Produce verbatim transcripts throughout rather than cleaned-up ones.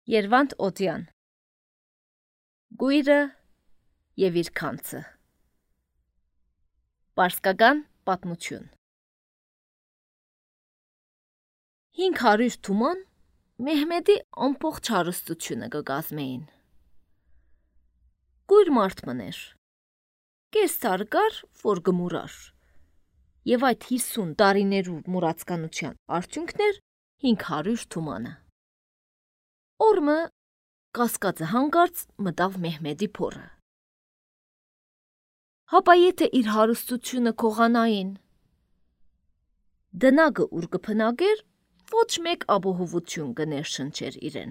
Երվանդ Օդյան Գույրը և իր քանցը Պարսկական պատմություն Հինգ հարյուր թուման Մեհմեդի ամբողջ հարստությունը կկազմեին։ Գույր մարդ մներ, կես ծառ կար, որ գմուրար, և այդ հիսուն տարիներու մուրացկանության արդյունքն էր հինգ հարյուր թումանը։ Օրմը կասկածը հանկարծ մտավ Մեհմեդի փորը։ Հապա եթե իր հարստությունը քողանային, դնագը ուր կփնագեր, ոչ մեկ ապահովություն կներշնչեր իրեն։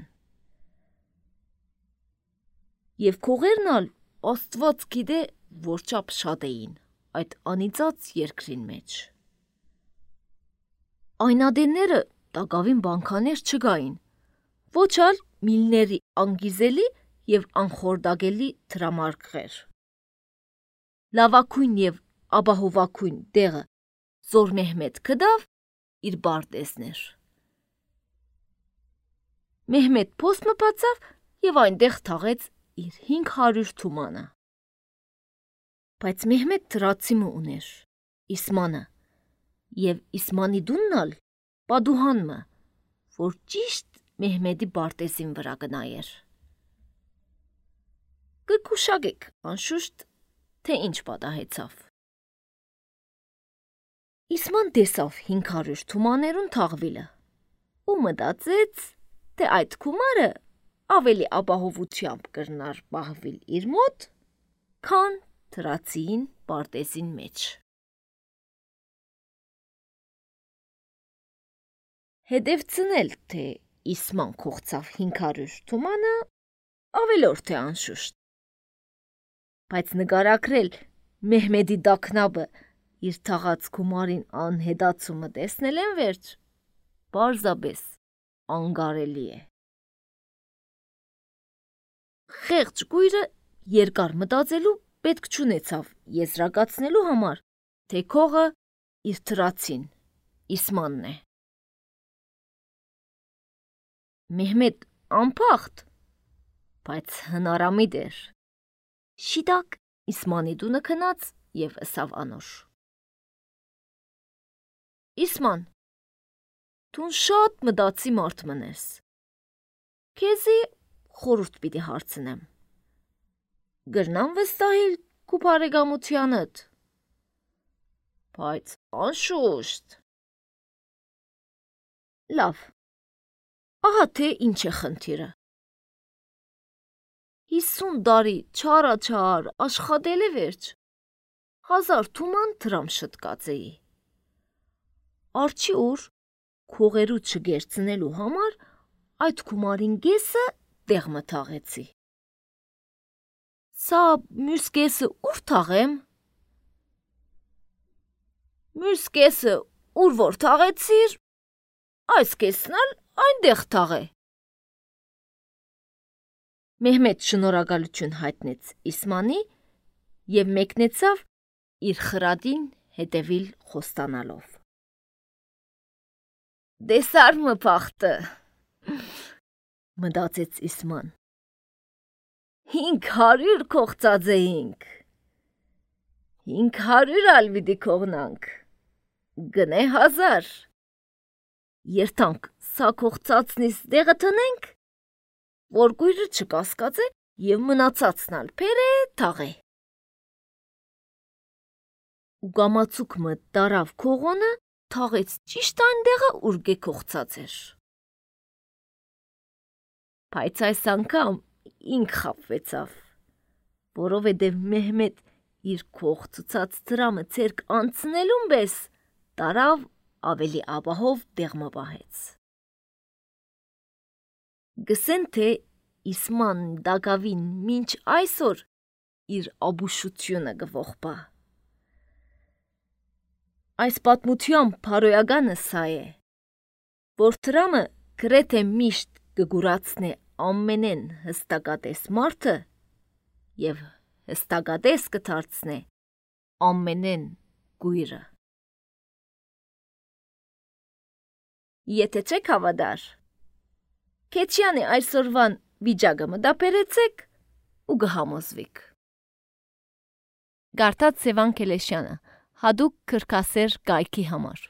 Եվ քողերն ալ Աստված գիտե որչափ շատ էին այդ անիծած երկրին մեջ։ Այնադենները տակավին բանկաներ չգային, ոչ ալ միլների անգիզելի և անխորդագելի թրամարկղեր։ Լավակույն և ապահովակույն դեղը Զոր Մեհմեդ կդավ իր բարտեզներ։ Մեհմեդ փոստ մտածավ և այնտեղ թաղեց իր հինգ հարյուր թումանը։ Բայց Մեհմեդ թրացիմը ուներ, Իսմանը, և Իսմանի դունն ալ պատուհանմը, որ ճիշտ Մեհմեդի բարտեզին վրա կնայեր։ Կգուշակեք, անշուշտ, թե ինչ պատահեցավ։ Իսման տեսավ հինգ հարյուր թումաներուն թաղվիլը ու մտածեց, թե այդ գումարը ավելի ապահովությամբ կրնար պահվիլ իր մոտ, քան թրացին պարտեզին մեջ։ Հետևցնել, թե Իսման կողծավ հինգ հարյուր թումանը, ավելորդ է անշուշտ, բայց նկարագրել Մեհմեդի դաքնաբը իր թաղած գումարին անհետացումը տեսնել են վերջ, պարզապես անկարելի է։ Խեղճ գույրը երկար մտածելու պետք չունեցավ եզրակացնելու համար, թե քողը իր թրացին, Իսմանն է։ Մեհմեդ անփախտ, բայց հնարամիտ էր։ Շիտակ Իսմանի տունը քնած և ըսավ անոր. Իսման, դուն շատ մտածի մարդ մնես, քեզի խորհուրդ պիտի հարցնեմ, գրնամ վստահիլ քու բարեկամությանդ, բայց անշուշտ։ Լավ, ահա թե ինչ է խնդիրը։ Հիսուն տարի չարաչար աշխատել է վերջ, հազար թուման դրամ շտկած էի։ Արջի օր քողերու չգերցնելու համար այդ գումարին կեսը տեղ մթաղեցի։ Սա մյուս կեսը ուր թաղեմ։ Մյուս կեսը ուր որ թաղեցիր, այս կեսն ալ այնտեղ թաղե։ Մեհմեդ շնորհակալություն հայտնեց Իսմանի և մեկնեցավ իր խրատին հետևիլ խոստանալով։ Դեսար մը փախտը, մտածեց Իսման։ Հինգ հարյուր կողծած էինք, հինգ հարյուր ալ պիտի կողնանք, գնե հազար։ Երթանք սա կողծածնից դեղը տնենք, որ գույրը չկասկածե և մնացածն ալ փերը թաղե։ Ու կամացուկ մը տարավ քողոնը, թաղեց ճիշտ այն դեղը, ուր կողծած էր։ Բայց այս անգամ ինք խաբվեցավ, որովհետև Մեհմեդ իր կողծած դրամը ձեռք անցնելուն պես տարավ ավելի ապահով դեղը պահեց։ Գսեն, թե Իսման դակավին մինչ այսօր իր ապուշությունը կողպա։ Այս պատմության փարոյականը սա է, որ դրամը գրեթե միշտ կգուրացնե ամենեն հստակատես մարդը և հստակատես կդարձնե ամենեն գույրը։ Եթե չեք հավատար, Քեչյանի այսօրվան վիճակը մտապերեցեք ու գհամոզվիք։ Գարտած Սևան Քելեշյանը, հadoop քրքասեր կայքի համար։